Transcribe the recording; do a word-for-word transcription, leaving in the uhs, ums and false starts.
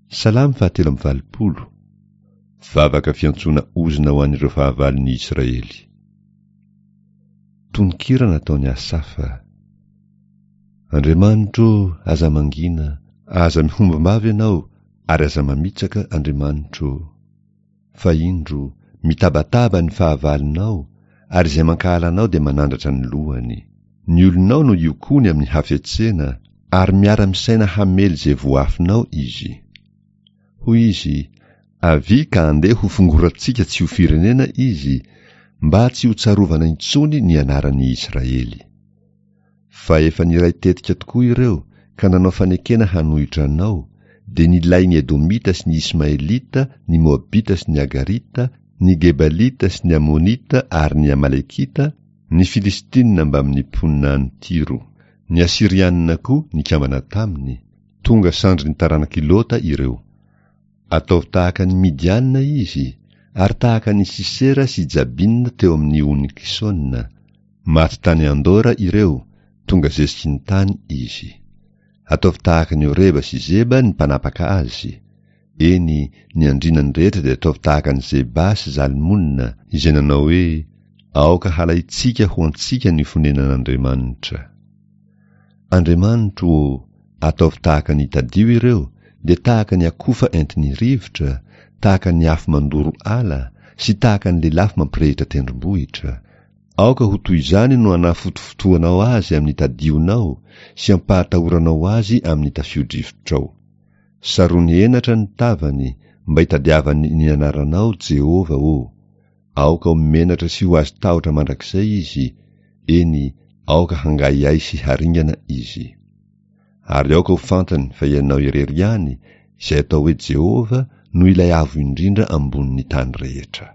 Salamo fahatelo amby valopolo. Vavaka fiantsoana ozona ho an'ireo fahavalon'ny Israely. Tononkira nataon'i Asafa. Andriamanitro ô, aza mangina, aza mihombom-bava ianao, ary aza mamitsaka, Andriamanitro ô. Fa indro, mitabataba ny fahavalonao, ary izay mankahala anao dia manandratra ny lohany. Ny olonao no iokoany amin'ny hafetsena, ary miara-misaina hamely izay voafinao izy. Hoy izy, Avia ka andeha hofongorantsika tsy ho firenena izy, mba tsy ho tsarovana intsony ny anaran'ny Israely. Fa efa niray tetika tokoa ireo ka nanao fanekena hanohitra anao, dia nilain'ny Edomita sy ny Ismaelita, ny Moabita sy ny Agarita, ny Gebalita sy ny Amonita ary ny Amalekita, ny Filistinina mbamin'ny mponina any Tyro. Ny Asyrianina koa nikambana taminy, tonga sandrin'ny taranak'i Lota ireo. Ataovy tahaka an'i Midiana izy, ary tahaka an'i Sisera sy Jabina teo amin'ny ony Kisona. Maty tany Andora ireo, tonga zeziky ny tany izy. Ataovy tahaka an'i Oreba sy Zeba ny mpanapaka azy. Eny, ny andrinany rehetra dia ataovy tahaka an'i Zeba sy Zalmona, izay nanao hoe, Aoka halaintsika ho antsika ny fonenan'Andriamanitra. Andriamanitro ô, ataovy tahaka ny tadio ireo, dia tahaka ny akofa entin'ny rivotra, tahaka ny afo mandoro ala, sy tahaka ny lelafo mampirehitra tendrombohitra. Aoka ho toy izany no anafotofotoanao azy amin'ny tadionao sy ampahatahoranao azy amin'ny tafio-drivotrao. Sarony henatra ny tavany, mba hitadiavany ny anaranao, Jehovah ô. Aoka ho menatra sy ho azo tahotra mandrakizay izy, eny, aoka hangaihay sy haringana izy. Ary aoka ho fantany fa ianao irery ihany, izay atao hoe Jehovah, no ilay Avo Indrindra ambonin'ny tany rehetra.